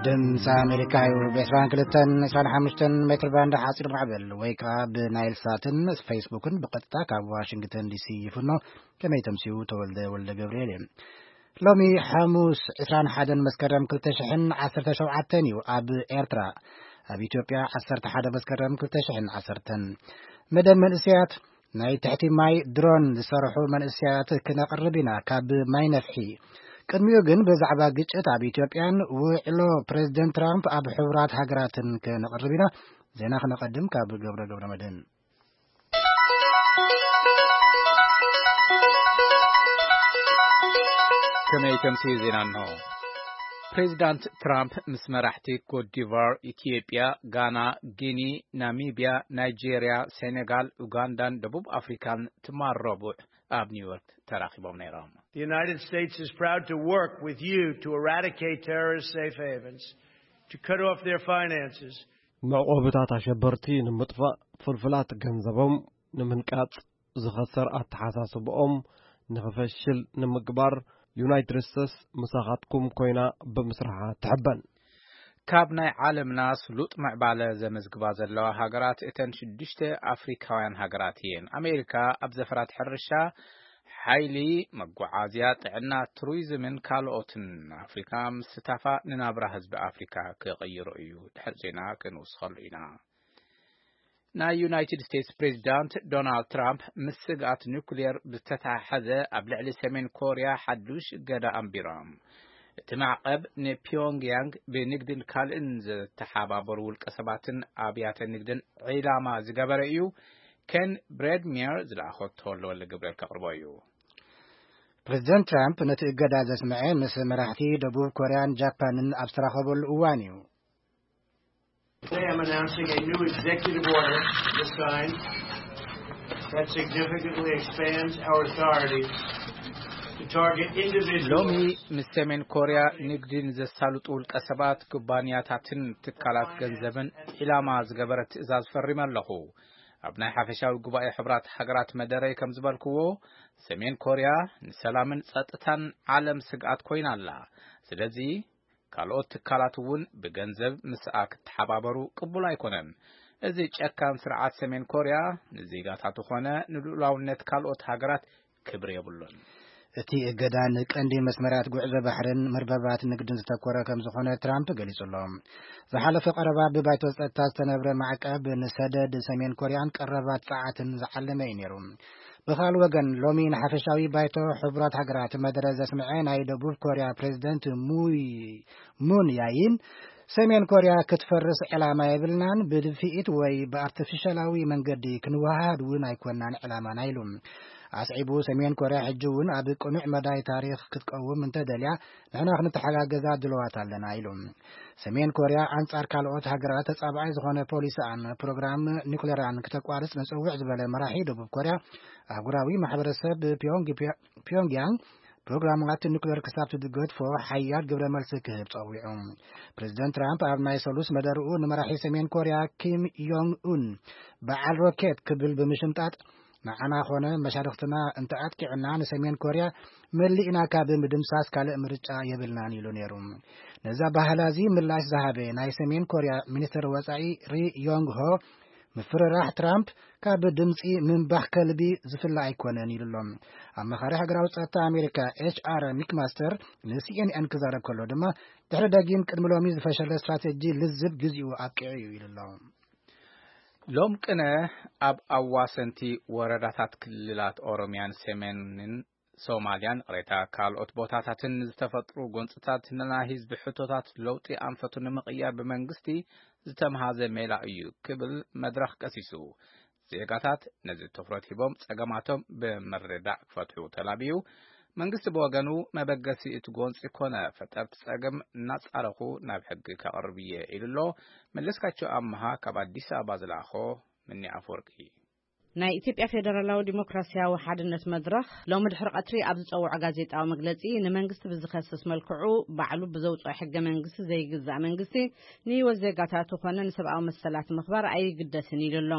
ድምፂ ኣሜሪካ እዩ። ብ22 25 ሜትር ባንድ ሓፂር ማዕበል ወይ ከዓ ብናይል ሳትን ፌስቡክን ብቐጥታ ካብ ዋሽንግተን ዲሲ ይፍኖ። ከመይ ተምስዩ? ተወልደ ወልደ ገብርኤል እየ። ሎሚ ሓሙስ ዕስራን ሓደን መስከረም ክልተ ሽሕን ዓሰርተ ሸውዓተን እዩ ኣብ ኤርትራ። ኣብ ኢትዮጵያ ዓሰርተ ሓደ መስከረም ክልተ ሽሕን ዓሰርተን። መደብ መንእሰያት ናይ ትሕቲ ማይ ድሮን ዝሰርሑ መንእሰያት ክነቕርብ ኢና ካብ ማይ ነፍሒ። ቅድሚኡ ግን ብዛዕባ ግጭት ኣብ ኢትዮጵያን ውዕሎ ፕሬዚደንት ትራምፕ ኣብ ሕቡራት ሃገራትን ክነቕርብ ኢና። ዜና ክነቐድም ካብ ገብረ ገብረ መድህን። ከመይ ተምስዩ ዜና እንሆ። ፕሬዚዳንት ትራምፕ ምስ መራሕቲ ኮትዲቫር፣ ኢትዮጵያ፣ ጋና፣ ጊኒ፣ ናሚብያ፣ ናይጄርያ፣ ሴኔጋል፣ ኡጋንዳን ደቡብ ኣፍሪካን ትማል ረቡዕ ኣብ ኒውዮርክ ተራኺቦም ነይሮም። The United States is proud to work with you to eradicate terrorist safe havens, to cut off their finances. መዕቆብታት ኣሸበርቲ ንምጥፋእ፣ ፍልፍላት ገንዘቦም ንምንቃጽ፣ ዝኸሰር ኣተሓሳስብኦም ንኽፈሽል ንምግባር፣ ዩናይትድ ስቴትስ ምሳኻትኩም ኮይና ብምስራሓ ትሕበን። ካብ ናይ ዓለምና ስሉጥ ምዕባለ ዘመዝግባ ዘለዋ ሃገራት እተን ሽዱሽተ ኣፍሪካውያን ሃገራት እየን። ኣሜሪካ ኣብ ዘፈራት ሕርሻ፣ ሓይሊ፣ መጓዓዝያ፣ ጥዕና፣ ቱሪዝምን ካልኦትን ኣፍሪካ ምስታፋ ንናብራ ህዝቢ ኣፍሪካ ክቕይሮ እዩ። ድሕሪ ዜና ክንውስኸሉ ኢና። ናይ ዩናይትድ ስቴትስ ፕሬዚዳንት ዶናልድ ትራምፕ ምስ ስግኣት ኒኩሌር ብዝተተሓሓዘ ኣብ ልዕሊ ሰሜን ኮርያ ሓዱሽ እገዳ ኣንቢሮም። እቲ ማዕቐብ ንፒዮንግያንግ ብንግድን ካልእን ዝተሓባበሩ ውልቀ ሰባትን ኣብያተ ንግድን ዒላማ ዝገበረ እዩ። ኬን ብሬድሚየር ዝለኣኸቶ ለወለ ግብረል ከቕርቦ እዩ። ፕሬዚደንት ትራምፕ ነቲ እገዳ ዘስምዐ ምስ መራሕቲ ደቡብ ኮርያን ጃፓንን ኣብ ዝተራኸበሉ እዋን እዩ። Today I'm announcing a new executive order to sign that significantly expands our authority to target individuals. ሎሚ ምስ ሰሜን ኮርያ ንግዲ ንዘሳልጡ ውልቀ ሰባት፣ ኩባንያታትን ትካላት ገንዘብን ዒላማ ዝገበረ ትእዛዝ ፈሪመ ኣለኹ። ኣብ ናይ ሓፈሻዊ ጉባኤ ሕቡራት ሃገራት መደረይ ከም ዝበልክዎ፣ ሰሜን ኮርያ ንሰላምን ጸጥታን ዓለም ስግኣት ኮይና ኣላ። ስለዚ ካልኦት ትካላት እውን ብገንዘብ ምስኣ ክተሓባበሩ ቅቡል ኣይኮነን። እዚ ጨካን ስርዓት ሰሜን ኮርያ ንዜጋታቱ ኮነ ንልኡላውነት ካልኦት ሃገራት ክብሪ የብሉን። እቲ እገዳ ንቀንዲ መስመራት ጉዕዞ ባሕርን መርበባት ንግድን ዝተኮረ ከም ዝኾነ ትራምፕ ገሊጹ ኣሎ። ዝሓለፈ ቀረባ ብባይቶ ጸጥታ ዝተነብረ ማዕቀብ ንሰደድ ሰሜን ኮርያን ቀረባት ጸዓትን ዝዓለመ እዩ ነይሩ። ብኻል ወገን ሎሚ ንሓፈሻዊ ባይቶ ሕቡራት ሃገራት መደረ ዘስምዐ ናይ ደቡብ ኮርያ ፕሬዚደንት ሙይ ሙን ያይን ሰሜን ኮርያ ክትፈርስ ዕላማ የብልናን፣ ብድፍኢት ወይ ብኣርቲፊሻላዊ መንገዲ ክንወሃሃድ እውን ኣይኮናን ዕላማና ኢሉ። ኣስዒቡ ሰሜን ኮርያ ሕጂ እውን ኣብ ቅኑዕ መዳይ ታሪኽ ክትቀውም እንተደልያ ንሕና ክንተሓጋገዛ ድልዋት ኣለና ኢሉ። ሰሜን ኮርያ ኣንጻር ካልኦት ሃገራት ተጻባኣይ ዝኾነ ፖሊሲኣን ፕሮግራም ኒኩሌራን ክተቋርጽ ንጽውዕ ዝበለ መራሒ ደቡብ ኮርያ ኣህጉራዊ ማሕበረሰብ ፒዮንግያንግ ፕሮግራማት ኒኩሌር ክሳብ ትገድፎ ሓያል ግብረ መልሲ ክህብ ጸዊዑ። ፕሬዚደንት ትራምፕ ኣብ ናይ ሰሉስ መደርኡ ንመራሒ ሰሜን ኮርያ ኪም ዮንግ ኡን በዓል ሮኬት ክብል ብምሽምጣጥ ንዓና ኾነ መሻርኽትና እንተኣጥቂዑና ንሰሜን ኮርያ መሊእና ካብ ምድምሳስ ካልእ ምርጫ የብልናን ኢሉ ነይሩ። ነዛ ባህላ እዚ ምላሽ ዝሃበ ናይ ሰሜን ኮርያ ሚኒስትር ወጻኢ ሪ ዮንግ ሆ ምፍርራሕ ትራምፕ ካብ ድምፂ ምንባሕ ከልቢ ዝፍለ ኣይኮነን ኢሉ ኣሎ። ኣማኻሪ ሃገራዊ ፀጥታ ኣሜሪካ ኤች ኣር ሚክማስተር ንሲኤንኤን ክዛረብ ከሎ ድማ ድሕሪ ደጊም ቅድሚ ሎሚ ዝፈሸለ ስትራቴጂ ልዝብ ግዚኡ ኣብቂዑ እዩ ኢሉ ኣሎ። ሎም ቅነ ኣብ ኣዋሰንቲ ወረዳታት ክልላት ኦሮሚያን ሰሜንን ሶማልያን ቅሬታ ካልኦት ቦታታትን ዝተፈጥሩ ጎንፅታት ንናይ ህዝቢ ሕቶታት ለውጢ ኣንፈቱ ንምቕያር ብመንግስቲ ዝተምሃዘ ሜላ እዩ ክብል መድረኽ ከሲሱ። ዜጋታት ነዚ ትኹረት ሂቦም ጸገማቶም ብምርዳእ ክፈትሑ ተላብዩ። መንግስቲ ብወገኑ መበገሲ እቲ ጎንፂ ኮነ ፈጠርቲ ጸገም እናጻረኹ ናብ ሕጊ ከቕርብ እየ ኢሉ ኣሎ። መለስካቸው ኣምሃ ካብ ኣዲስ ኣበባ ዝለኣኾ ምኒ ኣፈወርቂ። ናይ ኢትዮጵያ ፌደራላዊ ዲሞክራሲያዊ ሓድነት መድረኽ ሎሚ ድሕሪ ቀትሪ ኣብ ዝጸውዖ ጋዜጣዊ መግለጺ፣ ንመንግስቲ ብዝኸስስ መልክዑ ባዕሉ ብዘውጽኦ ሕገ መንግስቲ ዘይግዛእ መንግስቲ ንህይወት ዜጋታቱ ኮነ ንሰብኣዊ መሰላት ምኽባር ኣይግደስን ኢሉ ኣሎ።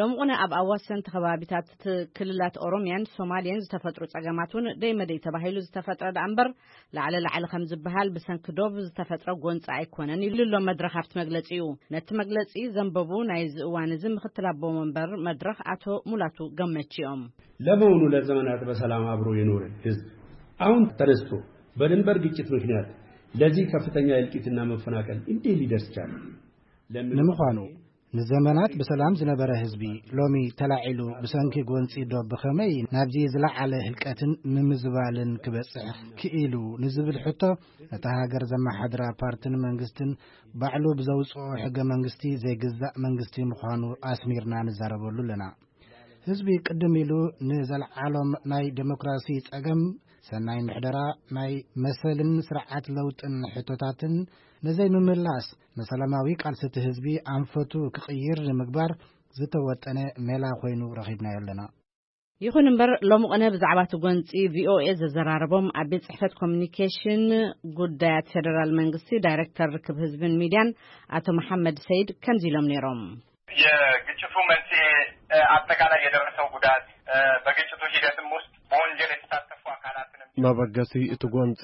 ሎሚ ቁነ ኣብ ኣዋሰንቲ ከባቢታት ክልላት ኦሮሚያን ሶማልያን ዝተፈጥሩ ጸገማት እውን ደይ መደይ ተባሂሉ ዝተፈጥረ ደኣ እምበር፣ ላዕለ ላዕሊ ከም ዝበሃል ብሰንኪ ዶብ ዝተፈጥረ ጎንፂ ኣይኮነን ኢሉ ኣሎ መድረኽ ኣብቲ መግለፂኡ። ነቲ መግለፂ ዘንበቡ ናይዚ እዋን እዚ ምክትል ኣቦ መንበር መድረኽ ኣቶ ሙላቱ ገመች እዮም። ለመሆኑ ለዘመናት በሰላም አብሮ የኖረ ህዝብ አሁን ተነስቶ በድንበር ግጭት ምክንያት ለዚህ ከፍተኛ እልቂትና መፈናቀል እንዴት ሊደርስ ቻለ? ለምን ንምዃኑ፣ ንዘመናት ብሰላም ዝነበረ ህዝቢ ሎሚ ተላዒሉ ብሰንኪ ጎንፂ ዶብ ብኸመይ ናብዚ ዝለዓለ ህልቀትን ምምዝባልን ክበፅሕ ክኢሉ ንዝብል ሕቶ፣ ነታ ሃገር ዘመሓድራ ፓርትን መንግስትን ባዕሉ ብዘውፅኦ ሕገ መንግስቲ ዘይግዛእ መንግስቲ ምዃኑ ኣስሚርና ንዛረበሉ ኣለና። ህዝቢ ቅድም ኢሉ ንዘለዓሎም ናይ ዴሞክራሲ ጸገም፣ ሰናይ ምሕደራ፣ ናይ መሰልን ስርዓት ለውጥን ሕቶታትን ንዘይምምላስ፣ ንሰላማዊ ቃልሲ እቲ ህዝቢ ኣንፈቱ ክቕይር ንምግባር ዝተወጠነ ሜላ ኮይኑ ረኺብናዮ ኣለና። ይኹን እምበር፣ ሎሚ ቕነ ብዛዕባ እቲ ጎንጺ ቪኦኤ ዘዘራረቦም ኣብ ቤት ጽሕፈት ኮሚኒኬሽን ጉዳያት ፌደራል መንግስቲ ዳይሬክተር ርክብ ህዝብን ሚድያን ኣቶ መሓመድ ሰይድ ከምዚ ኢሎም ነይሮም። የግጭቱ መንስኤ፣ እ፣ አጠቃላይ የደረሰው ጉዳት፣ እ፣ በግጭቱ ሂደትም ውስጥ በወንጀል የተሳተፉ አካላትንም መበገሲ እቲ ጎንጺ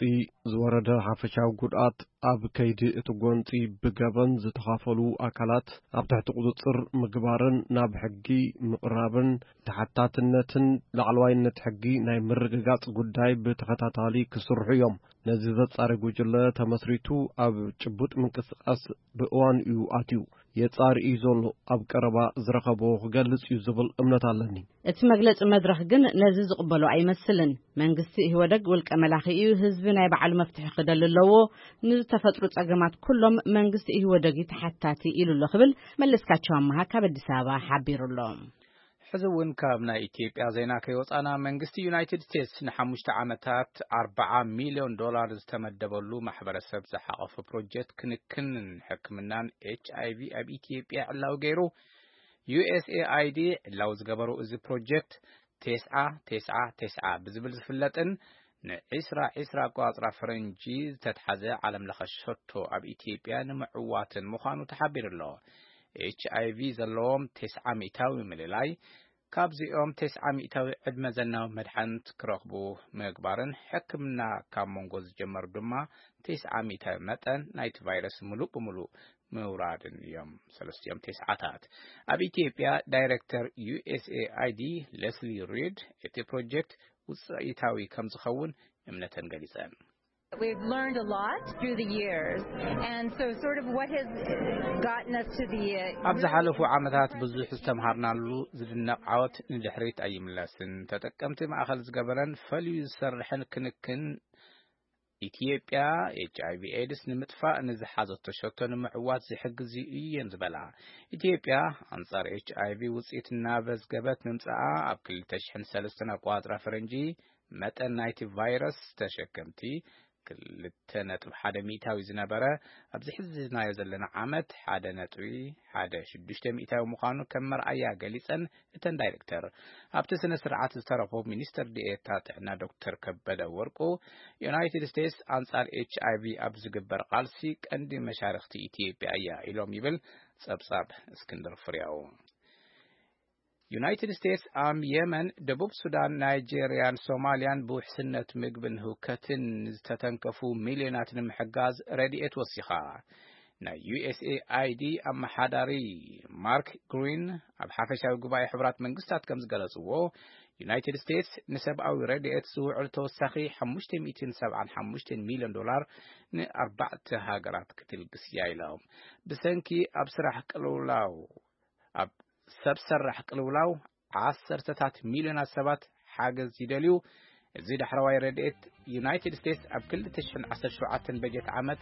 ዝወረደ ሓፈሻዊ ጉድኣት፣ ኣብ ከይዲ እቲ ጎንጺ ብገበን ዝተኻፈሉ ኣካላት ኣብ ትሕቲ ቁጽጽር ምግባርን ናብ ሕጊ ምቕራብን ተሓታትነትን ላዕለዋይነት ሕጊ ናይ ምርግጋጽ ጉዳይ ብተኸታታሊ ክስርሑ እዮም። ነዚ ዘጻሪ ጉጅለ ተመስሪቱ ኣብ ጭቡጥ ምንቅስቃስ ብእዋን እዩ ኣትዩ። የጻሪ እዩ ዘሎ፣ ኣብ ቀረባ ዝረኸቦ ክገልጽ እዩ ዝብል እምነት ኣለኒ። እቲ መግለጺ መድረኽ ግን ነዚ ዝቕበሎ ኣይመስልን። መንግስቲ ኢህወደግ ውልቀ መላኺ እዩ፣ ህዝቢ ናይ ባዕሉ መፍትሒ ክደሊ ኣለዎ። ንዝተፈጥሩ ጸገማት ኩሎም መንግስቲ ኢህወደግ እዩ ተሓታቲ ኢሉ ኣሎ ክብል መለስካቸው ኣመሃ ካብ ኣዲስ ኣበባ ሓቢሩ ኣሎ። ሕዚ እውን ካብ ናይ ኢትዮጵያ ዜና ከይወጻና፣ መንግስቲ ዩናይትድ ስቴትስ ንሓሙሽተ ዓመታት ኣርብዓ ሚልዮን ዶላር ዝተመደበሉ ማሕበረሰብ ዝሓቐፈ ፕሮጀክት ክንክንን ሕክምናን ኤች ኣይ ቪ ኣብ ኢትዮጵያ ዕላዊ ገይሩ። ዩ ኤስ ኤ ኣይ ዲ ዕላዊ ዝገበሩ እዚ ፕሮጀክት ቴስዓ ቴስዓ ቴስዓ ብዝብል ዝፍለጥን ንዒስራ ዒስራ ኣቆጻጽራ ፈረንጂ ዝተትሓዘ ዓለም ለኸ ሸቶ ኣብ ኢትዮጵያ ንምዕዋትን ምዃኑ ተሓቢሩ ኣሎ። ኤች ኣይ ቪ ዘለዎም ቴስዓ ሚእታዊ ምልላይ፣ ካብዚኦም ቴስዓ ሚእታዊ ዕድመ ዘናዊ መድሓኒት ክረኽቡ ምግባርን ሕክምና ካብ መንጎ ዝጀመሩ ድማ ቴስዓ ሚእታዊ መጠን ናይቲ ቫይረስ ምሉእ ብምሉእ ምውራድን እዮም። ሰለስቲኦም ቴስዓታት። ኣብ ኢትዮጵያ ዳይሬክተር ዩ ኤስ ኤ ኣይ ዲ ሌስሊ ሪድ፣ እቲ ፕሮጀክት ውፅኢታዊ ከም ዝኸውን እምነተን ገሊፀን። We've learned a lot through the years, and so sort of what has gotten us to the, uh, ኣብ ዝሓለፉ ዓመታት ብዙሕ ዝተምሃርናሉ ዝድነቕ ዓወት ንድሕሪት ኣይምለስን። ተጠቀምቲ ማእኸል ዝገበረን ፈልዩ ዝሰርሕን ክንክን ኢትዮጵያ ኤች ኣይ ቪ ኤድስ ንምጥፋእ ንዝሓዘቶ ሸቶ ንምዕዋት ዝሕግዝ እዩ እየን ዝበላ። ኢትዮጵያ ኣንጻር ኤች ኣይ ቪ ውጽኢት እናመዝገበት ምምጽኣ፣ ኣብ ክልተ ሽሕን ሰለስተን ኣቆጻጽራ ፈረንጂ መጠን ናይቲ ቫይረስ ተሸከምቲ ክልተ ነጥቢ ሓደ ሚእታዊ ዝነበረ፣ ኣብዚ ሕዝናዮ ዘለና ዓመት ሓደ ነጥቢ ሓደ ሽዱሽተ ሚእታዊ ምዃኑ ከም መርኣያ ገሊጸን፣ እተን ዳይሬክተር። ኣብቲ ስነ ስርዓት ዝተረኽቡ ሚኒስትር ዲኤታ ጥዕና ዶክተር ከበደ ወርቁ፣ ዩናይትድ ስቴትስ ኣንጻር ኤች ኣይ ቪ ኣብ ዝግበር ቃልሲ ቀንዲ መሻርኽቲ ኢትዮጵያ እያ ኢሎም ይብል ጸብጻብ እስክንድር ፍሬው። ዩናይትድ ስቴትስ ኣብ የመን፣ ደቡብ ሱዳን፣ ናይጄርያን ሶማልያን ብውሕስነት ምግብን ህውከትን ዝተተንከፉ ሚልዮናት ንምሕጋዝ ረድኤት ወሲኻ። ናይ ዩ ኤስ ኤ ኣይ ዲ ኣመሓዳሪ ማርክ ግሪን ኣብ ሓፈሻዊ ጉባኤ ሕቡራት መንግስታት ከም ዝገለጽዎ፣ ዩናይትድ ስቴትስ ንሰብኣዊ ረድኤት ዝውዕል ተወሳኺ ሓሙሽተ ሚእትን ሰብዓን ሓሙሽተን ሚልዮን ዶላር ንኣርባዕተ ሃገራት ክትልግስ እያ ኢሎም። ብሰንኪ ኣብ ስራሕ ቅልውላው፣ ኣብ ሰብ ሰራሕ ቅልውላው ዓሰርተታት ሚልዮናት ሰባት ሓገዝ ይደልዩ። እዚ ዳሕረዋይ ረድኤት ዩናይትድ ስቴትስ ኣብ ክልተ ሽሕን ዓሰርተ ሸውዓተን በጀት ዓመት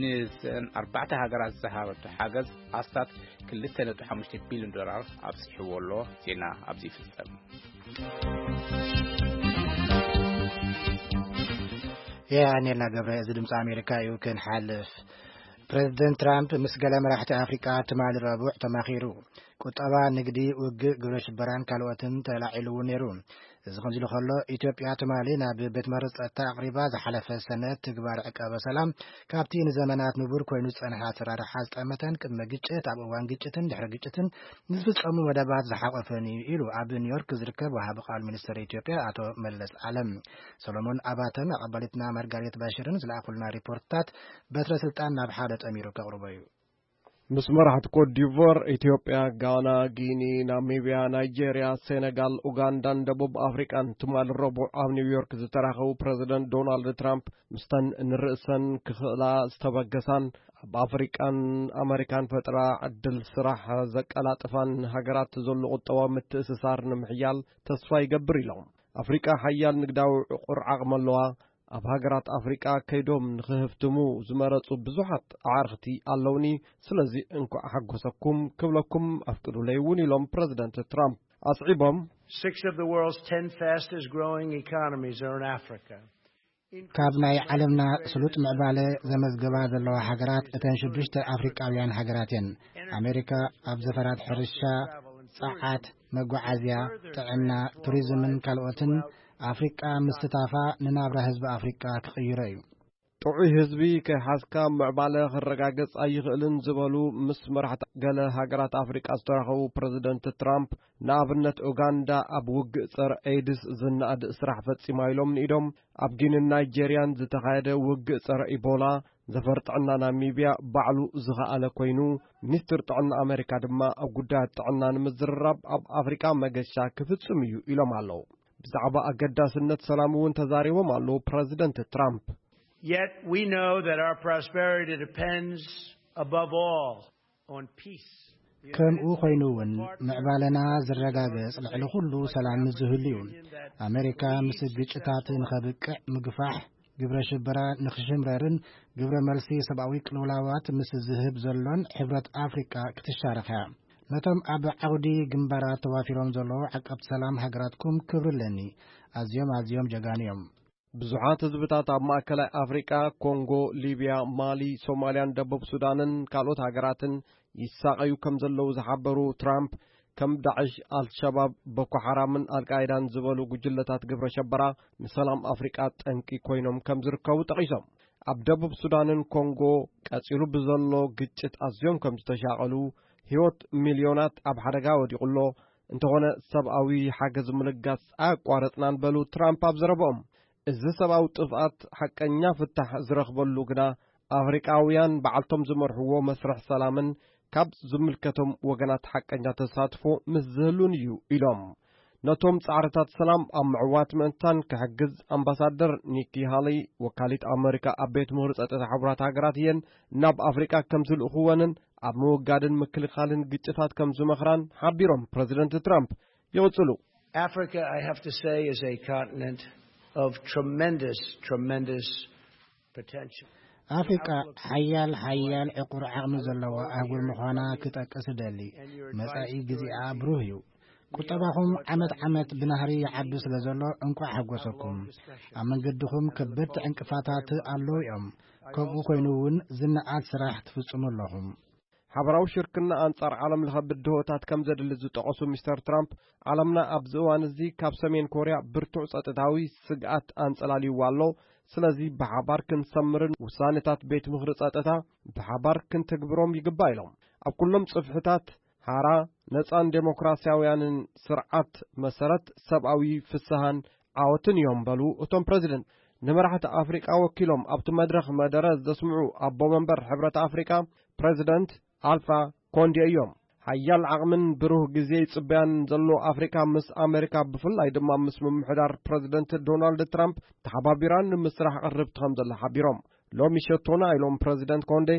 ንዘን ኣርባዕተ ሃገራት ዝሃበቶ ሓገዝ ኣስታት ክልተ ነጥቢ ሓሙሽተ ቢልዮን ዶላር ኣብፂሕዎ ኣሎ። ዜና ኣብዚ ይፍጸም። የቐንየልና ገብረ፣ እዚ ድምፂ ኣሜሪካ እዩ። ክንሓልፍ፣ ፕሬዚደንት ትራምፕ ምስ ገለ መራሕቲ ኣፍሪቃ ትማሊ ረቡዕ ተማኺሩ። ቁጠባ፣ ንግዲ፣ ውግእ፣ ግብረ ሽበራን ካልኦትን ተላዒሉ እውን ነይሩ። እዚ ከምዚ ኢሉ ከሎ፣ ኢትዮጵያ ትማሊ ናብ ቤት ማሕተም ጸጥታ ኣቕሪባ ዝሓለፈ ሰነ ትግባር ዕቃበ ሰላም ካብቲ ንዘመናት ንቡር ኮይኑ ዝጸንሐ ኣሰራርሓ ዝጠመተን ቅድመ ግጭት፣ ኣብ እዋን ግጭትን ድሕሪ ግጭትን ንዝፍጸሙ መደባት ዝሓቆፈን እዩ ኢሉ ኣብ ኒውዮርክ ዝርከብ ወሃቢ ቃል ሚኒስትር ኢትዮጵያ ኣቶ መለስ ዓለም። ሰሎሞን ኣባተን ኣቐባሊትና ማርጋሬት ባሽርን ዝለኣኹልና ሪፖርትታት በትረ ስልጣን ናብ ሓደ ጠሚሩ ከቕርቦ እዩ። ምስ መራሕቲ ኮት ዲቮር፣ ኢትዮጵያ፣ ጋና፣ ጊኒ፣ ናሚብያ፣ ናይጄርያ፣ ሴነጋል፣ ኡጋንዳን ደቡብ ኣፍሪቃን ትማሊ ረቡዕ ኣብ ኒውዮርክ ዝተራኸቡ ፕረዚደንት ዶናልድ ትራምፕ፣ ምስተን ንርእሰን ክኽእላ ዝተበገሳን ኣብ ኣፍሪቃን ኣመሪካን ፈጠራ ዕድል ስራሕ ዘቀላጥፋን ሃገራት ዘሎ ቁጠባዊ ምትእስሳር ንምሕያል ተስፋ ይገብር ኢሎም። ኣፍሪቃ ሓያል ንግዳዊ ዕቑር ዓቕሚ ኣለዋ። ኣብ ሃገራት ኣፍሪቃ ከይዶም ንኽህፍትሙ ዝመረጹ ብዙሓት ኣዕርኽቲ ኣለውኒ። ስለዚ እንኳዕ ሓጎሰኩም ክብለኩም ኣፍቅዱለይ እውን ኢሎም ፕረዚደንት ትራምፕ ኣስዒቦም። Six of the world's ten fastest growing economies are in Africa. ካብ ናይ ዓለምና ስሉጥ ምዕባለ ዘመዝገባ ዘለዋ ሃገራት እተን ሽዱሽተ ኣፍሪቃውያን ሃገራት እየን። ኣሜሪካ ኣብ ዘፈራት ሕርሻ፣ ጸዓት፣ መጓዓዝያ፣ ጥዕና፣ ቱሪዝምን ካልኦትን ኣፍሪቃ ምስታፋ ንናብራ ህዝቢ ኣፍሪቃ ክቕይሮ እዩ። ጥዑይ ህዝቢ ከይሓዝካ ምዕባለ ክረጋገጽ ኣይኽእልን ዝበሉ ምስ መራሕቲ ገለ ሃገራት ኣፍሪቃ ዝተራኸቡ ፕረዚደንት ትራምፕ፣ ንኣብነት ኡጋንዳ ኣብ ውግእ ጸረ ኤድስ ዝነኣድ ስራሕ ፈጺማ ኢሎም ንኢዶም። ኣብ ጊንን ናይጄርያን ዝተኻየደ ውግእ ጸረ ኢቦላ ዘፈር ጥዕና ናሚብያ ባዕሉ ዝኸኣለ ኮይኑ፣ ሚኒስትር ጥዕና ኣመሪካ ድማ ኣብ ጉዳያት ጥዕና ንምዝርራብ ኣብ ኣፍሪቃ መገሻ ክፍጽም እዩ ኢሎም ኣለዉ። ብዛዕባ ኣገዳስነት ሰላም እውን ተዛሪቦም ኣለዉ ፕረዚደንት ትራምፕ። Yet we know that our prosperity depends above all on peace. ከምኡ ኮይኑ እውን ምዕባለና ዝረጋገጽ ልዕሊ ኩሉ ሰላም ምስ ዝህሉ እዩ። ኣሜሪካ ምስ ግጭታት ንኸብቅዕ ምግፋሕ፣ ግብረ ሽበራ ንኽሽምረርን ግብረ መልሲ ሰብኣዊ ቅልውላዋት ምስ ዝህብ ዘሎን ሕብረት ኣፍሪቃ ክትሻረኽ እያ። ነቶም ኣብ ዓውዲ ግንባራት ተዋፊሮም ዘለዉ ዓቀብቲ ሰላም ሃገራትኩም ክብሪ ኣለኒ። ኣዝዮም ኣዝዮም ጀጋኑ እዮም። ብዙሓት ህዝብታት ኣብ ማእከላይ ኣፍሪቃ፣ ኮንጎ፣ ሊብያ፣ ማሊ፣ ሶማልያን ደቡብ ሱዳንን ካልኦት ሃገራትን ይሳቐዩ ከም ዘለዉ ዝሓበሩ ትራምፕ፣ ከም ዳዕሽ፣ ኣልሸባብ፣ ቦኮ ሓራምን ኣልቃይዳን ዝበሉ ጉጅለታት ግብረ ሸበራ ንሰላም ኣፍሪቃ ጠንቂ ኮይኖም ከም ዝርከቡ ጠቒሶም። ኣብ ደቡብ ሱዳንን ኮንጎ ቀጺሉ ብዘሎ ግጭት ኣዝዮም ከም ዝተሻቐሉ፣ ህይወት ሚልዮናት ኣብ ሓደጋ ወዲቑ ኣሎ። እንተኾነ ሰብኣዊ ሓገዝ ምልጋስ ኣያቋረጽናን በሉ ትራምፕ ኣብ ዘረብኦም። እዚ ሰብኣዊ ጥፍኣት ሓቀኛ ፍታሕ ዝረኽበሉ ግና ኣፍሪቃውያን ባዕልቶም ዝመርሕዎ መስርሕ ሰላምን ካብ ዝምልከቶም ወገናት ሓቀኛ ተሳትፎ ምስ ዝህሉን እዩ ኢሎም። ነቶም ጻዕርታት ሰላም ኣብ ምዕዋት ምእንታን ክሕግዝ ኣምባሳደር ኒኪ ሃሊ፣ ወካሊት ኣመሪካ ኣብ ቤት ምኽሪ ጸጥታ ሕቡራት ሃገራት እየን ናብ ኣፍሪቃ ከም ዝልእኽወንን ኣብ ምውጋድን ምክልኻልን ግጭታት ከም ዝመኽራን ሓቢሮም። ፕረዚደንት ትራምፕ ይቕጽሉ። Africa, I have to say, is a continent of tremendous, tremendous potential. ኣፍሪቃ ሓያል ሓያል ዕቑር ዓቕሚ ዘለዋ ኣህጉር ምዃና ክጠቅስ እደሊ። መጻኢ ግዜኣ ብሩህ እዩ። ቁጠባኹም ዓመት ዓመት ብናህሪ ይዓቢ ስለ ዘሎ እንቋዕ ሓጎሰኩም። ኣብ መንገድኹም ከበድቲ ዕንቅፋታት ኣለዉ እዮም። ከምኡ ኮይኑ እውን ዝነኣድ ስራሕ ትፍጽሙ ኣለኹም። ሓበራዊ ሽርክና ኣንጻር ዓለም ለኸ ብድሆታት ከም ዘድሊ ዝጠቐሱ ሚስተር ትራምፕ፣ ዓለምና ኣብዚ እዋን እዚ ካብ ሰሜን ኮርያ ብርቱዕ ጸጥታዊ ስግኣት ኣንጸላልይዋ ኣሎ። ስለዚ ብሓባር ክንሰምርን ውሳኔታት ቤት ምኽሪ ጸጥታ ብሓባር ክንተግብሮም ይግባእ ኢሎም። ኣብ ኩሎም ጽፍሕታት ሓራ ነጻን ዴሞክራሲያውያንን ስርዓት መሰረት ሰብኣዊ ፍስሃን ዓወትን እዮም በሉ እቶም ፕረዚደንት። ንመራሕቲ ኣፍሪቃ ወኪሎም ኣብቲ መድረኽ መደረ ዘስምዑ ኣቦ መንበር ሕብረት ኣፍሪቃ ፕረዚደንት ኣልፋ ኮንዴ እዮም። ሓያል ዓቕምን ብሩህ ግዜ ይጽበያን ዘሎ ኣፍሪቃ ምስ ኣመሪካ ብፍላይ ድማ ምስ ምምሕዳር ፕረዚደንት ዶናልድ ትራምፕ ተሓባቢራ ንምስራሕ ቅርብቲ ከም ዘላ ሓቢሮም። ሎሚ ሸቶና ኢሎም ፕረዚደንት ኮንዴ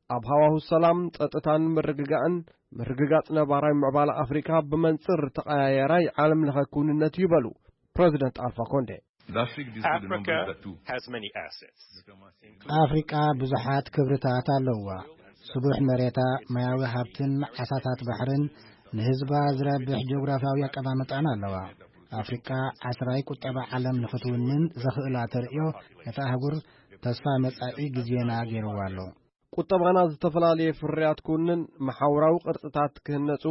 ኣብ ሃዋሁ ሰላም፣ ጸጥታን ምርግጋእን ምርግጋጽ ነባራዊ ምዕባለ ኣፍሪካ ብመንጽር ተቐያየራይ ዓለም ለኸ ክውንነት እዩ በሉ ፕረዚደንት ኣልፋ ኮንዴ። L'Afrique dispose de Africa nombreux atouts. Has many assets. ኣፍሪቃ ብዙሓት ክብርታት ኣለዋ። ስቡሕ መሬታ፣ ማያዊ ሃብትን ዓሳታት ባሕርን ንህዝባ ዝረብሕ ጂኦግራፊያዊ ኣቀማምጣን ኣለዋ። ኣፍሪቃ ዓስራይ ቁጠባ ዓለም ንኽትውንን ዘኽእላ ተርእዮ ነታ ኣህጉር ተስፋ መጻኢ ግዜና ገይርዋ ኣሎ። ቁጠባና ዝተፈላለየ ፍርያት ክውንን፣ መሓውራዊ ቅርጽታት ክህነጹ፣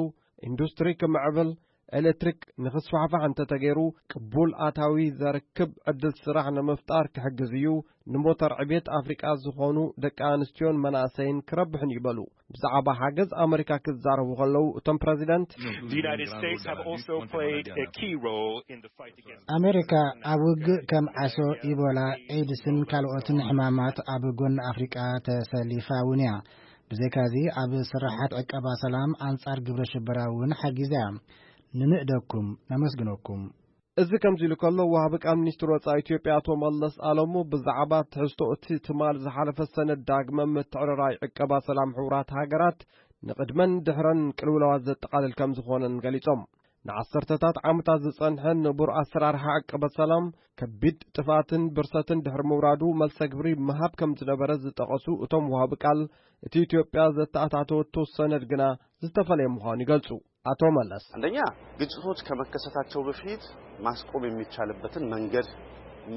ኢንዱስትሪ ክምዕብል፣ ኤሌክትሪክ ንኽስፋሕፋሕ እንተተገይሩ፣ ቅቡል ኣታዊ ዘርክብ ዕድል ስራሕ ንምፍጣር ክሕግዝ እዩ። ንሞተር ዕቤት ኣፍሪቃ ዝኾኑ ደቂ ኣንስትዮን መናእሰይን ክረብሕን እዩ በሉ። ብዛዕባ ሓገዝ ኣመሪካ ክዛረቡ ከለዉ እቶም ፕረዚደንት፣ The United States have also played a key role in the fight against ኣሜሪካ ኣብ ውግእ ከም ዓሶ፣ ኢቦላ፣ ኤድስን ካልኦትን ሕማማት ኣብ ጎኒ ኣፍሪቃ ተሰሊፋ እውን እያ። ብዘይካዚ ኣብ ስራሓት ዕቀባ ሰላም ኣንጻር ግብረ ሽበራ እውን ሓጊዛ እያ። ንምእደኩም፣ ነመስግነኩም። እዚ ከምዚ ኢሉ ከሎ፣ ወሃቢ ቃል ሚኒስትር ወጻኢ ኢትዮጵያ ኣቶ መለስ ኣለሙ ብዛዕባ ትሕዝቶ እቲ ትማል ዝሓለፈ ሰነድ ዳግመ ምትዕርራይ ዕቀባ ሰላም ሕቡራት ሃገራት ንቕድመን ድሕረን ቅልውላዋት ዘጠቓልል ከም ዝኾነን ገሊጾም። ንዓሰርተታት ዓመታት ዝጸንሐ ንቡር ኣሰራርሓ ዕቀባ ሰላም ከቢድ ጥፍኣትን ብርሰትን ድሕሪ ምውራዱ መልሰ ግብሪ ምሃብ ከም ዝነበረ ዝጠቐሱ እቶም ወሃቢ ቃል፣ እቲ ኢትዮጵያ ዘተኣታተወቶ ሰነድ ግና ዝተፈለየ ምዃኑ ይገልጹ። ኣቶ መለስ። አንደኛ፣ ግጭቶች ከመከሰታቸው በፊት ማስቆም የሚቻልበትን መንገድ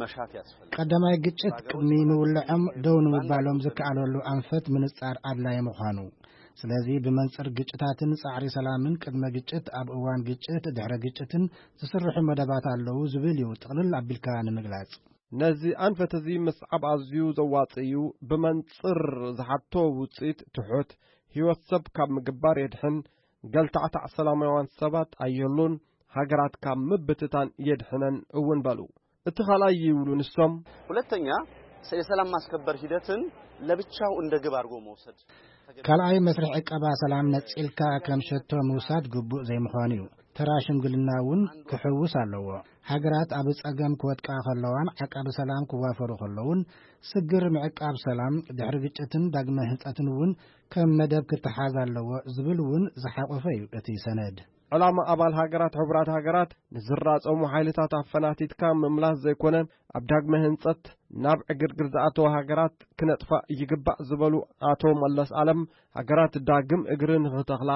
መሻት ያስፈልጋል። ቀዳማይ፣ ግጭት ቅድሚ ምውልዖም ደው ንምባሎም ዝከኣለሉ ኣንፈት ምንጻር ኣድላዪ ምዃኑ። ስለዚ ብመንጽር ግጭታትን ጻዕሪ ሰላምን ቅድመ ግጭት፣ ኣብ እዋን ግጭት፣ ድሕረ ግጭትን ዝስርሑ መደባት ኣለዉ ዝብል እዩ ጥቕልል ኣቢልካ ንምግላጽ። ነዚ ኣንፈት እዚ ምስዓብ ኣዝዩ ዘዋጽእ እዩ። ብመንጽር ዝሓቶ ውጽኢት ትሑት፣ ህይወት ሰብ ካብ ምግባር የድሕን፣ ገልታዕታዕ ሰላማውያን ሰባት ኣየሉን፣ ሃገራት ካብ ምብትታን የድሕነን እውን በሉ። እቲ ካልኣይ ይብሉ ንሶም። ሁለተኛ፣ የሰላም ማስከበር ሂደትን ለብቻው እንደ ግብ አድርጎ መውሰድ። ካልኣይ መስርሕ ዕቀባ ሰላም ነጺልካ ከም ሸቶ ምውሳድ ግቡእ ዘይምዃኑ እዩ። ተራ ሽምግልና እውን ክሕውስ ኣለዎ። ሃገራት ኣብ ጸገም ክወድቃ ከለዋን ዓቃቢ ሰላም ክዋፈሩ ከለውን ስግር ምዕቃብ ሰላም ድሕሪ ግጭትን ዳግመ ህንጸትን እውን ከም መደብ ክተሓዝ ኣለዎ ዝብል እውን ዝሓቆፈ እዩ እቲ ሰነድ። ዕላማ ኣባል ሃገራት ሕቡራት ሃገራት ንዝራጸሙ ሓይልታት ኣፈናቲትካ ምምላስ ዘይኮነ፣ ኣብ ዳግመ ህንጸት ናብ ዕግርግር ዝኣተዋ ሃገራት ክነጥፋ ይግባእ ዝበሉ ኣቶ መለስ ኣለም፣ ሃገራት ዳግም እግሪ ንኽተኽላ፣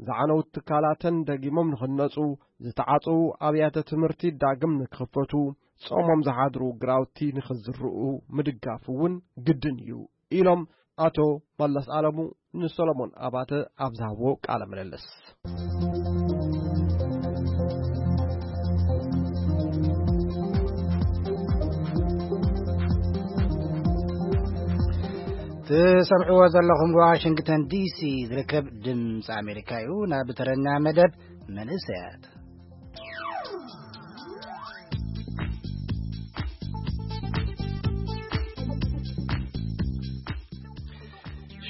ዝዓነዉ ትካላተን ደጊሞም ንኽነጹ፣ ዝተዓጽዉ ኣብያተ ትምህርቲ ዳግም ንክኽፈቱ፣ ጾሞም ዝሓድሩ ግራውቲ ንኽዝርኡ ምድጋፍ እውን ግድን እዩ ኢሎም ኣቶ መለስ ኣለሙ ንሰሎሞን ኣባተ ኣብ ዝሃብዎ ቃለ ምልልስ። ትሰምዕዎ ዘለኹም ዋሽንግተን ዲሲ ዝርከብ ድምፂ ኣሜሪካ እዩ። ናብ ተረኛ መደብ መንእሰያት።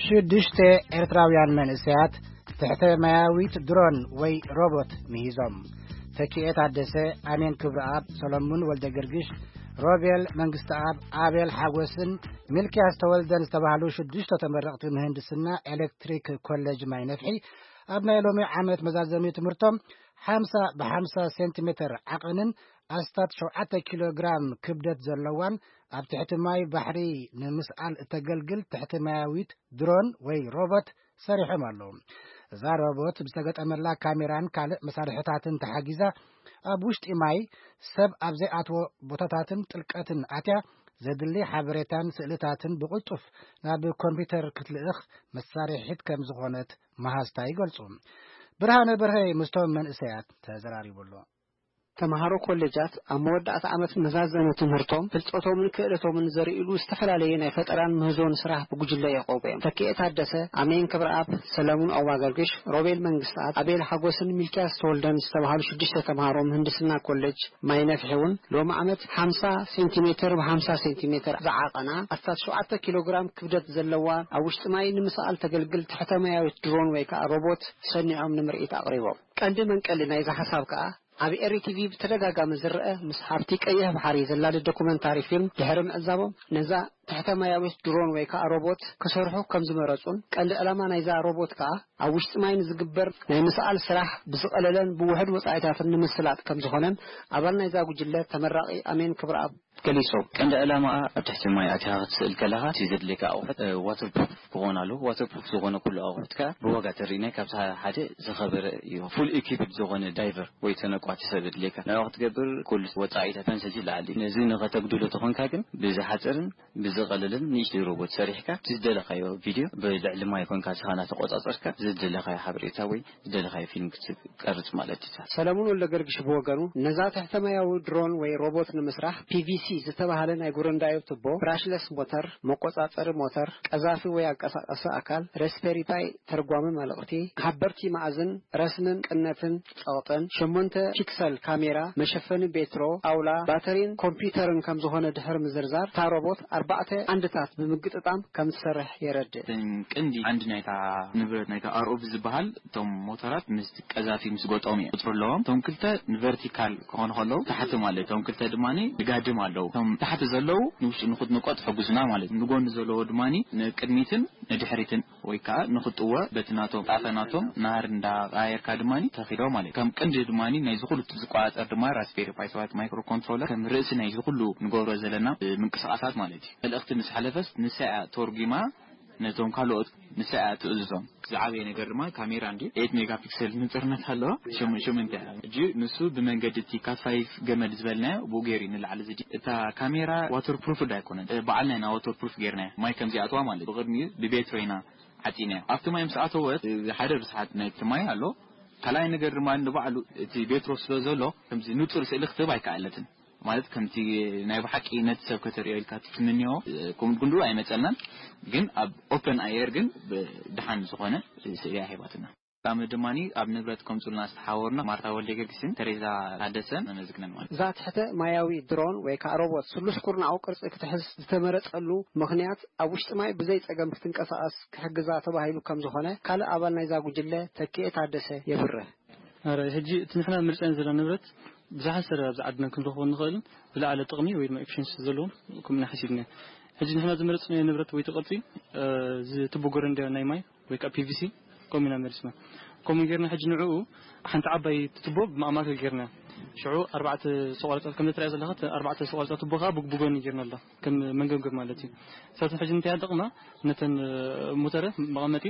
ሽዱሽተ ኤርትራውያን መንእሰያት ትሕተ ማያዊት ድሮን ወይ ሮቦት ምሂዞም። ተኪኤ ታደሰ፣ ኣሜን ክብረኣብ፣ ሰሎሙን ወልደ ገርግሽ፣ ሮቤል መንግስተኣብ፣ ኣቤል ሓጎስን ሚልክያስ ተወልደን ዝተባህሉ ሽዱሽተ ተመረቕቲ ምህንድስና ኤሌክትሪክ ኮሌጅ ማይ ነፍሒ ኣብ ናይ ሎሚ ዓመት መዛዘሚ ትምህርቶም ሓምሳ ብሓምሳ ሴንቲሜተር ዓቐንን ኣስታት ሸውዓተ ኪሎ ግራም ክብደት ዘለዋን ኣብ ትሕቲ ማይ ባሕሪ ንምስኣል እተገልግል ትሕቲ ማያዊት ድሮን ወይ ሮቦት ሰሪሖም ኣለዉ። እዛ ሮቦት ብዝተገጠመላ ካሜራን ካልእ መሳርሕታትን ተሓጊዛ ኣብ ውሽጢ ማይ ሰብ ኣብ ዘይኣትዎ ቦታታትን ጥልቀትን ኣትያ ዘድሊ ሓበሬታን ስእልታትን ብቕልጡፍ ናብ ኮምፒውተር ክትልእኽ መሳርሒት ከም ዝኾነት መሃዝታ ይገልጹ። ብርሃነ በርሀ ምስቶም መንእሰያት ተዘራሪቡ ኣሎ። ተምሃሮ ኮሌጃት ኣብ መወዳእታ ዓመት መዛዘሚ ትምህርቶም ፍልጠቶምን ክእለቶምን ዘርእሉ ዝተፈላለየ ናይ ፈጠራን ምህዞን ስራሕ ብጉጅለ የቕርቡ እዮም። ተኪኤ ታደሰ፣ ኣሜን ክብረኣብ፣ ሰለሙን ኣዋገርግሽ፣ ሮቤል መንግስትኣብ፣ ኣቤል ሓጎስን ሚልክያስ ተወልደን ዝተባህሉ ሽዱሽተ ተምሃሮ ምህንድስና ኮሌጅ ማይ ነፍሒ እውን ሎሚ ዓመት ሓምሳ ሴንቲሜተር ብ ሓምሳ ሴንቲሜተር ዝዓቐና ኣስታት ሸውዓተ ኪሎ ግራም ክብደት ዘለዋ ኣብ ውሽጢ ማይ ንምስኣል ተገልግል ትሕተ ማያዊት ድሮን ወይ ከዓ ሮቦት ሰኒዖም ንምርኢት ኣቕሪቦም። ቀንዲ መንቀሊ ናይዚ ሓሳብ ከዓ ኣብ ኤሪ ቲቪ ብተደጋጋሚ ዝረአ ምስ ሃብቲ ቀይሕ ባሕሪ ዘላሊ ዶኩመንታሪ ፊልም ድሕሪ ምዕዛቦም፣ ነዛ ትሕተ ማያዊት ድሮን ወይ ከዓ ሮቦት ክሰርሑ ከም ዝመረጹን፣ ቀንዲ ዕላማ ናይዛ ሮቦት ከዓ ኣብ ውሽጢ ማይ ንዝግበር ናይ ምስኣል ስራሕ ብዝቐለለን ብውሑድ ወጻኢታትን ንምስላጥ ከም ዝኾነን ኣባል ናይዛ ጉጅለ ተመራቒ ኣሜን ክብረኣብ ገሊጹ። ቀንዲ ዕላማኣ ኣብ ትሕቲ ማይ ኣቲኻ ክትስእል ከለኻ እቲ ዘድልየካ ኣቑሑት፣ እ፣ ዋተር ፕሩፍ ክኾን ኣለዎ። ዋተር ፕሩፍ ዝኾነ ኩሉ ኣቑሑት ከኣ ብዋጋ ተሪእናይ ካብቲ ሓደ ዝኸበረ እዩ። ፉል ኢኪፕድ ዝኾነ ዳይቨር ወይ ተነቋቲ ሰብ የድልየካ። ናብኡ ክትገብር ኩሉ ወጻኢታተን ሰጅል ይኣሊ። ነዚ ንኸተጉድሎ ተኾንካ ግን ብዝሓጽርን ብዝ-፣ ዝቐልልን ንእሽተይ ሮቦት ሰሪሕካ፣ እቲ ዝደለኻዮ ቪድዮ ብልዕሊ ማይ ኮንካ ንስኻ እናተቆጻጸርካ ዝደለኻዮ ሓበሬታ ወይ ዝደለኻዮ ፊልም ክትቀርጽ ማለት እዩ። ሰለሙን ወልደገርግሽ ብወገኑ፣ ነዛ ትሕተ ማያዊ ድሮን ወይ ሮቦት ንምስራሕ፣ ፒ ቪ ሲ ዝተባህለ ናይ ጉረንዳዮ ቱቦ፣ ብራሽለስ ሞተር፣ መቆጻጸሪ ሞተር፣ ቀዛፊ ወይ ኣንቀሳቃሲ ኣካል፣ ራስፔሪ ፓይ፣ ተርጓሚ መልእኽቲ፣ ሓበርቲ መኣዝን፣ ረስንን ቅነትን ጸቕጥን፣ ሸሞንተ ፒክሰል ካሜራ፣ መሸፈኒ ቤትሮ፣ ጣውላ፣ ባተሪን ኮምፒውተርን ከም ዝኾነ ድሕሪ ምዝርዛር፣ እታ ሮቦት ኣርባዕተ ዓንድታት ብምግጥጣም ከም ትሰርሕ የረድእ። እተን ቀንዲ ዓንዲ ናይታ ንብረት፣ ናይታ ኣር ኦ ቪ ዝበሃል፣ እቶም ሞተራት ምስ ቀዛፊ ምስ ገጠሙ እዮም ቁጽሪ ኣለዎም። እቶም ክልተ ንቨርቲካል ክኾኑ ከለዉ፣ ታሕቲ ማለት፣ እቶም ክልተ ድማ ንጋድም ኣለዉ። እቶም ታሕቲ ዘለዉ ንውሽጢ ንኽትንቆ ትሕግዙና ማለት እዩ። ንጎኒ ዘለዎ ድማ ንቅድሚትን ንድሕሪትን ወይ ከዓ ንኽጥወ በቲ ናቶም ጣፈ ናቶም ናህሪ እንዳቀያየርካ ድማ ተኺዶ ማለት እዩ። ከም ቅንዲ ድማ ናይዚ ኩሉ ዝቆጻጸር ድማ ራስፔሪ ፓይ ሰባት ማይክሮ ኮንትሮለር ከም ርእሲ ናይዚ ኩሉ ንገብሮ ዘለና ምንቅስቃሳት ማለት እዩ። መልእኽቲ ምስ ሓለፈስ ንሳ እያ ተርጒማ ነቶም ካልኦት፣ ንሳ እያ ትእዝዞም። ዝዓበየ ነገር ድማ ካሜራ እንዲ ኤት ሜጋ ፒክሰል ንጽርነት ኣለዋ። ሽም-፣ ሽምንተ እያ። ሕጂ ንሱ ብመንገዲ እቲ ካት ፋይቭ ገመድ ዝበልናዮ ብኡ ገይሩ እዩ ንላዕሊ ዝዲ-፣ እታ ካሜራ ዋተር ፕሩፍ ዳ ኣይኮነን። እ፣ በዓልና ኢና ዋተር ፕሩፍ ጌርናዮ። ማይ ከም ዚኣትዋ ማለት ብቕድሚኡ ብቤትሮ ኢና ዓጺናዮ። ኣብቲ ማይ ምስ ኣተወት፣ እ፣ ሓደ ርስሓት ናይቲ ማይ ኣሎ። ካልኣይ ነገር ድማ ንባዕሉ እቲ ቤትሮ ስለ ዘሎ ከምዚ ንጹር ስእሊ ክትህብ ኣይከኣለትን። ማለት ከምቲ ናይ ብሓቂ ነቲ ሰብ ከተርእዮ ኢልካ ትትምንዮ፣ እ፣ ኩም-፣ ክንድኡ ኣይመጸልናን። ግን ኣብ ኦፐን ኣየር ግን ብ-፣ ደሓን ዝኾነ ስእሊ ኣሂባትና። ቀዳሚ ድማ ኣብ ንብረት ከምጹልና ዝተሓወርና ማርታ ወልደገርጊስን ተሬዛ ታደሰን ነመስግነን ማለት እዩ። እዛ ትሕተ ማያዊ ድሮን ወይ ከዓ ሮቦት ስሉስ ኩርናዓዊ ቅርጺ ክትሕዝ ዝተመረጸሉ ምኽንያት ኣብ ውሽጢ ማይ ብዘይ ጸገም ክትንቀሳቐስ ክሕግዛ ተባሂሉ ከም ዝኾነ ካልእ ኣባል ናይዛ ጉጅለ ተኪኤ ታደሰ የብርህ። ኣረ፣ ሕጂ እቲ ንሕና ምርጫና ዘለና ንብረት ብዙሓት ሰብ ኣብዚ ዓድና ክንረኽቦ ንኽእልን ዝለዓለ ጥቕሚ ወይ ድማ ኤፊሽንሲ ዘለዎም ከምኡ ኢና ሓሲብና። ሕጂ ንሕና ዝመረጽናዮ ንብረት ወይ እቲ ቅርጺ፣ እ፣ እዚ ቱቦ ጎረንዳ ናይ ማይ ወይ ከዓ ፒ ቪ ሲ ከምኡ ኢና መሪጽና። ከምኡ ጌርና ሕጂ ንዕኡ ሓንቲ ዓባይ ቱቦ ብማእማከል ጌርና። ሽዑ ኣርባዕተ ሰቆርጻ ከም እትሪኣ ዘለኻ፣ እቲ ኣርባዕተ ሰቆርጻ ቱቦ ከዓ ብግ-፣ ብጎኒ ጌርና ኣላ። ከም መንገብገብ ማለት እዩ። ንሳተን ሕጂ እንታይ ይጠቕማ? ነተን፣ እ፣ ሞተረ መቐመጢ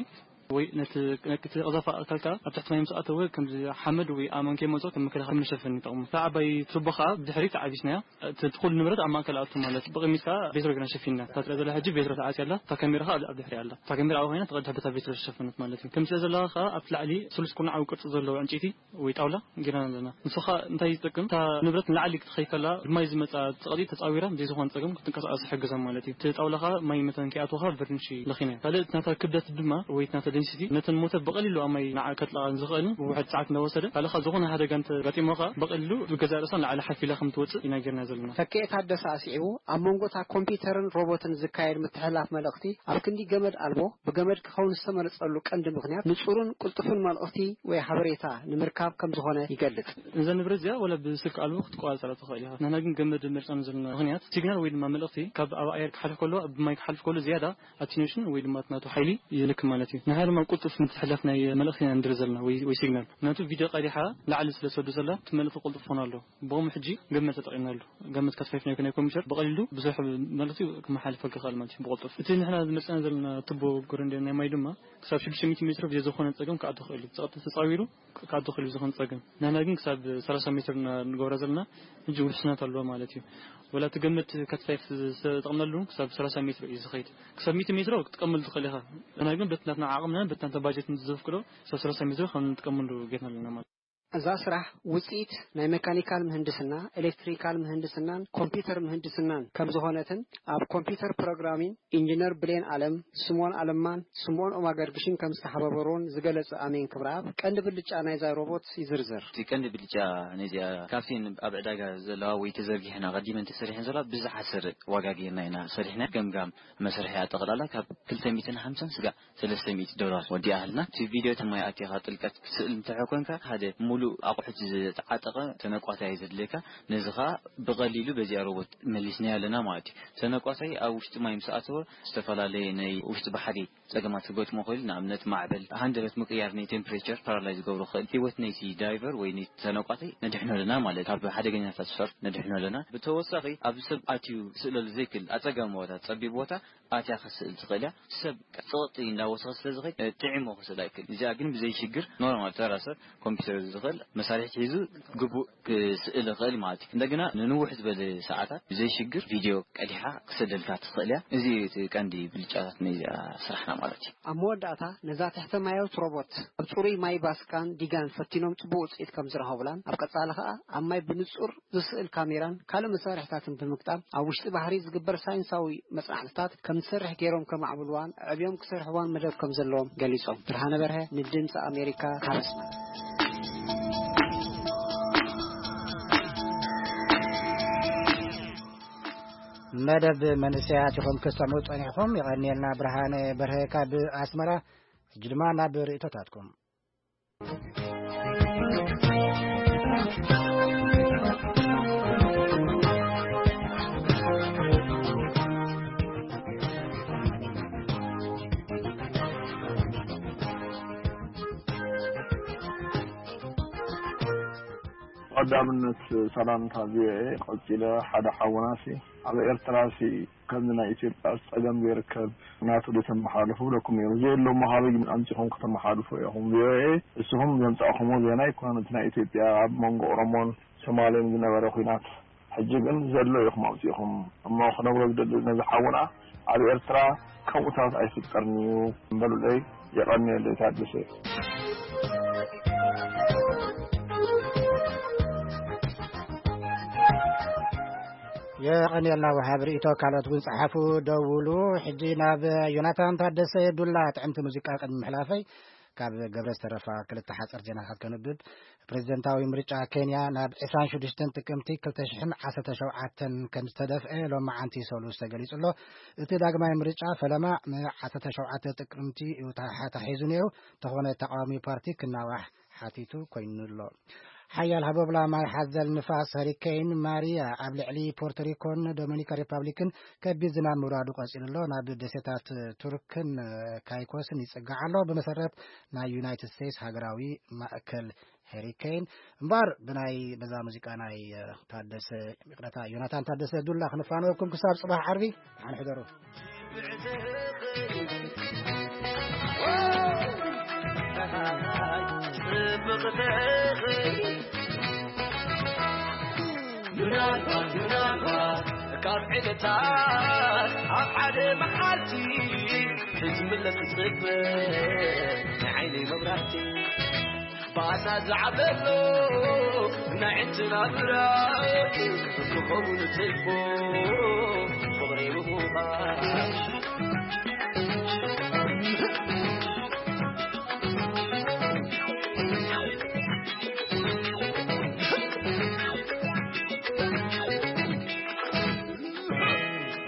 ወይ ነቲ፣ ነቲ ቀዛፊ ኣካል ከኣ ኣብ ትሕቲ ማይ ምስ ኣተወ፣ ከምዚ ሓመድ ወይ ኣእማን ከይመጾ ከም መከላኸሊ መሸፈኒ ይጠቕሙ። እታ ዓባይ ቱቦ ከኣ ብድሕሪት ዓቢስናያ። እቲ ኩሉ ንብረት ኣብ ማእከል ኣቱ ማለት እዩ። ብቕድሚት ከኣ ቤትሮ ጌርና ሸፊንና። እታ ትረኣ ዘላ ሕጂ ቤትሮ ተዓጽያ ኣላ። እታ ካሜራ ከኣ ኣብ፣ ኣብ ድሕሪኣ ኣላ። እታ ካሜራ ኣብኣ ኮይና፣ እታ ቀድሒ በታ ቤትሮ ዝተሸፈነት ማለት እዩ። ከምዚ ትሪኣ ዘለኻ ከኣ ኣብ ላዕሊ ስሉስ ኩርናዓዊ ቅርጺ ዘለዎ ዕንጨይቲ ወይ ጣውላ ጌርና ኣለና። ንሱ ከኣ እንታይ ይጠቅም? እታ ንብረት ንላዕሊ ክትኸይድ ከላ፣ ብማይ ዝመጻ ጸቕጢ ተጻዊራ፣ ብዘይ ዝኾነ ጸገም ክትንቀሳቐስ ይሕግዛ ማለት እዩ። እቲ ጣውላ ከኣ ማይ መታን ከይኣትዎ ከኣ ቨርኒሽ ለኺና። ካልእ እቲ ናታ ክብደት ድማ፣ ወይ እቲ ናታ ደንሲቲ፣ ነተን ሞተር ብቐሊሉ ኣብ ማይ ንዓ ከጥልቓ ዝኽእልን ውሕድ ሰዓት እንዳወሰደ፣ ካልእ ከኣ ዝኾነ ሓደጋ እንተጋጢሞ ከኣ ብቐሊሉ ብገዛእ ርእሳ ንላዕሊ ሓፍ ኢላ ከም ትወጽእ ኢና ጌርና ዘለና። ተኪኤ ታደሰ ኣስዒቡ፣ ኣብ መንጎ እታ ኮምፒውተርን ሮቦትን ዝካየድ ምትሕልላፍ መልእኽቲ ኣብ ክንዲ ገመድ ኣልቦ፣ ብገመድ ክኸውን ዝተመረጸሉ ቀንዲ ምኽንያት ንጹርን ቅልጡፍን መልእኽቲ ወይ ሓበሬታ ንምርካብ ከም ዝኾነ ይገልጽ። እዛ ንብረት እዚኣ ዋላ ብስልኪ ኣልቦ ክትቆጻጸራ ትኽእል ኢኻ። ንሕና ግን ገመድ መሪጽና ዘለና ምኽንያት ሲግናል ወይ ድማ መልእኽቲ ካብ ኣብ ኣየር ክሓልፍ ከሎ፣ ኣብ ማይ ክሓልፍ ከሎ ዝያዳ ኣቲኑሽን ወይ ድማ እቲ ናቱ ሓይሊ ይልክም ማለት እዩ። ንሕና ድማ ቅልጡፍ ምትሕልላፍ ናይ መልእኽቲ ኢና ንደሊ ዘለና ወይ፣ ወይ ሲግናል። ምኽንያቱ ቪድዮ ቀዲሓ ላዕሊ ስለ ትሰዱ ዘላ እቲ መልእኽቲ ቅልጡፍ ክኾን ኣለዎ። ብኸምኡ ሕጂ ገመድ ተጠቒምናሉ። ገመድ ካት ፋይቭ ናይ፣ ናይ ኮምፒውተር ብቐሊሉ ብዙሕ መልእኽቲ ክመሓላልፈልካ ይኽእል ማለት እዩ ብቕልጡፍ። እቲ ንሕና ዝመርጽና ዘለና ቱቦ ጎረንዳ ናይ ማይ ድማ ክሳብ ሽዱሽተ ሚእቲ ሜትሮ ብዘይ ዝኾነ ጸገም ክኣቱ ይኽእል እዩ። ጸቕጢ ተጻዊሩ ክኣቱ ይኽእል እዩ ብዝኾነ ጸገም። ንሕና ግን ክሳብ ሰላሳ ሜትር ኢና ንገብራ ዘለና። ሕጂ ውሕስነት ኣለዎ ማለት እዩ። ወላ እቲ ገመድ ካት ፋይቭ ዝተጠቕምናሉ ክሳብ ሰላሳ ሜትሮ እዩ ዝኸይድ። ክሳብ ሚእቲ ሜትሮ ክትጥቀመሉ ትኽእል ኢኻ። ንሕና ግን በቲ ናትና ዓቕምና በቲ ናትና ባጀት ዘፍቅዶ ክሳብ ሰላሳ ሜትሮ ከም እንጥቀመሉ ጌርና ኣለና ማለት እዩ። እዛ ስራሕ ውጽኢት ናይ መካኒካል ምህንድስና፣ ኤሌክትሪካል ምህንድስናን ኮምፒውተር ምህንድስናን ከም ዝኾነትን ኣብ ኮምፒውተር ፕሮግራሚን ኢንጂነር ብሌን ኣለም፣ ስምኦን ኣለማን ስምኦን ኦማገርግሽን ከም ዝተሓባበሩን ዝገለጸ ኣሜን ክብረኣብ፣ ቀንዲ ብልጫ ናይዛ ሮቦት ይዝርዝር። እቲ ቀንዲ ብልጫ ናይዚኣ ካብተን ኣብ ዕዳጋ ዘለዋ ወይ ተዘርጊሐን ኣቐዲመን ተሰሪሐን ዘለዋ ብዝሓሰረ ዋጋ ጌርና ኢና ሰሪሕና። ገምጋም መስርሒ ኣጠቕላላ ካብ ክልተ ሚእትን ሓምሳን ስጋዕ ሰለስተ ሚእቲ ዶላር ወዲኣ ሃልና። እቲ ቪድዮ እቲ ማይ ኣቲኻ ጥልቀት ክትስእል እንተኾንካ፣ ሓደ ሙሉእ ኣቑሑት ዝተዓጠቐ ተነቋታይ እዩ ዘድልየካ። ነዚ ኸኣ ብቐሊሉ በዚኣ ሮቦት መሊስናዮ ኣለና ማለት እዩ። ተነቋታይ ኣብ ውሽጢ ማይ ምስ ኣተወ፣ ዝተፈላለየ ናይ ውሽጢ ባሕሪ ጸገማት ክገጥሞ ይኽእል። ንኣብነት፣ ማዕበል፣ ሃንደበት ምቅያር ናይ ቴምፕሬቸር ፓራላይዝ ዝገብሮ ይኽእል። ህይወት ናይቲ ዳይቨር ወይ ናይቲ ተነቋታይ ነድሕኖ ኣለና ማለት እዩ። ካብ ሓደገኛታት ሰፈር ነድሕኖ ኣለና። ብተወሳኺ፣ ኣብ ሰብ ኣትዩ ክስእለሉ ዘይክእል ኣጸጋሚ ቦታ፣ ጸቢብ ቦታ፣ ኣትያ ክትስእል ትኽእል እያ። ሰብ ጸቕጢ እንዳወሰኸ ስለ ዝኸይድ፣ እ፣ ጥዒሞ ክስእል ኣይክእል። እዚኣ ግን ብዘይ ሽግር ኖርማል ተራ ሰብ ኮምፒውተር ዝኽእል መሳርሒ ሒዙ ግቡእ ክስእል ይኽእል ማለት እዩ። እንደገና ንንውሕ ዝበለ ሰዓታት ብዘይ ሽግር ቪድዮ ቀዲሓ ክሰደልካ ትኽእል እያ። እዚ እዩ እቲ ቀንዲ ብልጫታት ናይዚኣ ስራሕና ማለት እዩ። ኣብ መወዳእታ ነዛ ትሕተ ማያዊት ሮቦት ኣብ ጽሩይ ማይ ባስካን ዲጋን ፈቲኖም ጽቡቕ ውጽኢት ከም ዝረኸቡላን ኣብ ቀጻሊ ከኣ ኣብ ማይ ብንጹር ዝስእል ካሜራን ካልእ መሳርሕታትን ብምግጣም ኣብ ውሽጢ ባሕሪ ዝግበር ሳይንሳዊ መጽናዕትታት ከም ዝሰርሕ ገይሮም ከማዕብልዋን ኣዕብዮም ክሰርሕዋን መደብ ከም ዘለዎም ገሊጾም። ብርሃነ በርሀ ንድምፂ ኣሜሪካ ካብ ኣስመራ። መደብ መንእሰያት ኢኹም ክሰምዑ ጸኒሕኹም። የቐንየልና ብርሃነ በርሀ ካብ ኣስመራ። ሕጂ ድማ ናብ ርእይቶታትኩም። ቀዳምነት ሰላምታ ቪኦኤ። ቀጺለ ሓደ ሓውናሲ ኣብ ኤርትራሲ ከምዚ ናይ ኢትዮጵያ ጸገም ዘይርከብ ናቱ ተመሓላልፉ ብለኩም ነይሩ። ዘየሎ መሃቢ ኣምጺኹም ከተመሓላልፉ ኢኹም። ቪኦኤ፣ እስኹም ዘምጻእኹሞ ዜና ኣይኮነን። እቲ ናይ ኢትዮጵያ ኣብ መንጎ ኦሮሞን ሶማሌን ዝነበረ ኲናት ሕጂ ግን ዘሎ ኢኹም ኣምጺእኹም። እሞ ክነግሮ ዝደሊ ነዚ ሓውና፣ ኣብ ኤርትራ ከምኡታት ኣይፍጠርን እዩ። በሉለይ፣ የቐንየለይ ታደሰ። የቐንየልና ወሃብ ርእይቶ። ካልኦት እውን ጸሓፉ፣ ደውሉ። ሕጂ ናብ ዮናታን ታደሰ ዱላ ጥዕምቲ ሙዚቃ ቅድሚ ምሕላፈይ፣ ካብ ገብረ ዝተረፋ ክልተ ሓጸር ዜናታት ከንብብ። ፕሬዚደንታዊ ምርጫ ኬንያ ናብ ዕስራን ሽዱሽተን ጥቅምቲ ክልተ ሽሕን ዓሰርተ ሸውዓተን ከም ዝተደፍአ ሎማዓንቲ ሰሉስ ተገሊጹ ኣሎ። እቲ ዳግማይ ምርጫ ፈለማ ን ዓሰርተ ሸውዓተ ጥቅምቲ እዩ ተሓ-፣ ተታሒዙ ነይሩ። እንተኾነ ተቃዋሚ ፓርቲ ክናዋሕ ሓቲቱ ኮይኑ ኣሎ። ሓያል ሃቦብላ ማይ ሓዘል ንፋስ ሀሪኬን ማሪያ ኣብ ልዕሊ ፖርቶሪኮን ዶሚኒካን ሪፓብሊክን ከቢድ ዝናብ ምውራዱ ቀጺሉ ኣሎ። ናብ ደሴታት ቱርክን ካይኮስን ይጽጋዕ ኣሎ። ብመሰረት ናይ ዩናይትድ ስቴትስ ሃገራዊ ማእከል ሄሪኬን እምበኣር ብናይ በዛ ሙዚቃ ናይ ታደሰ፣ ይቕረታ፣ ዮናታን ታደሰ ዱላ ክንፋነወኩም ክሳብ ጽባሕ ዓርቢ። ደሓን ሕደሩ። ምናልባት ምናልባት ካብ ዕለታት ኣብ ሓደ መዓልቲ ክትምለስ ትጽበ ናይ ዓይነይ መብራህቲ። ባሳ ዝዓበሎ ናይ ዕንትና ብራት ክኸውን ትልቦ ፍቕሪ ምዃን።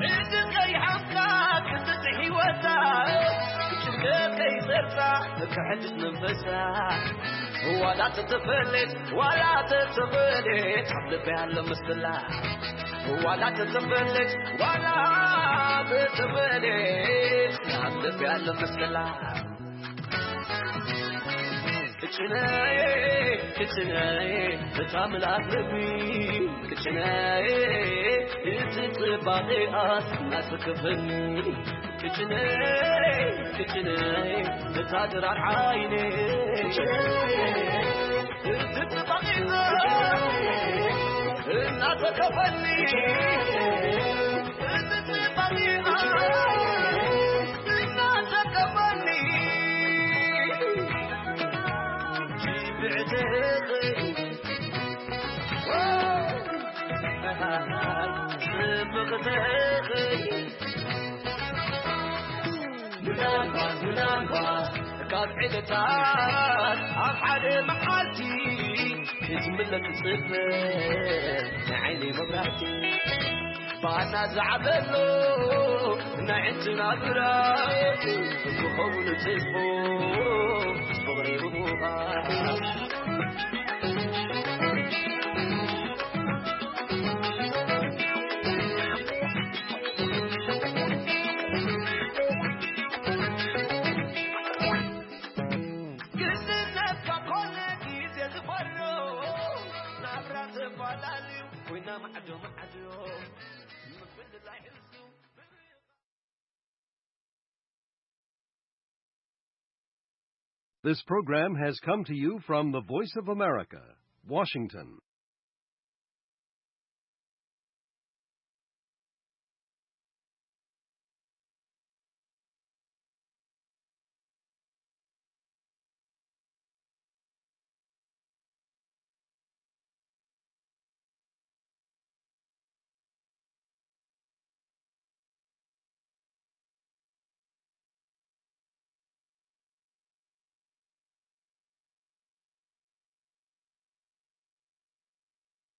እዚ ከይሓምካ ክትጽሕ ህይወታ ጭንቀት ከይሰርጻ ከሕድስ መንፈሳ። ዋላ ተተፈለየት ዋላ ተተፈለየት ኣብ ልበይ ኣሎ ምስላ። ዋላ ተተፈለየት ዋላ ተተፈለየት ኣብ ልበይ ኣሎ ምስላ። ክጭነይ ክጭነይ እታ ምልኣት ልቢ ክጭነይ እቲ ጽባቐኣስ እናሰከፈኒ። ክጭነይ ክጭነይ እታ ድራር ዓይነይ ክጭነይ እቲ ጽባቐኣስ እናሰከፈኒ። ምናልባት ምናልባት ካብ ዕለታት ኣብ ሓደ መዓልቲ ክትምለስ ትጽበ ናይ ዓይነይ መብራህቲ። ባና ዝዓበሎ ናይ ዕንትና ብራት ክኸውን ትጽቦ ፍቕሪ ብምዃን። ግዝነትካ ኮነ ግዜ ዝበሮ ናብራ ተፈላለዩ ኮይና ማዕዶ ማዕዶ። This program has come to you from the Voice of America, Washington.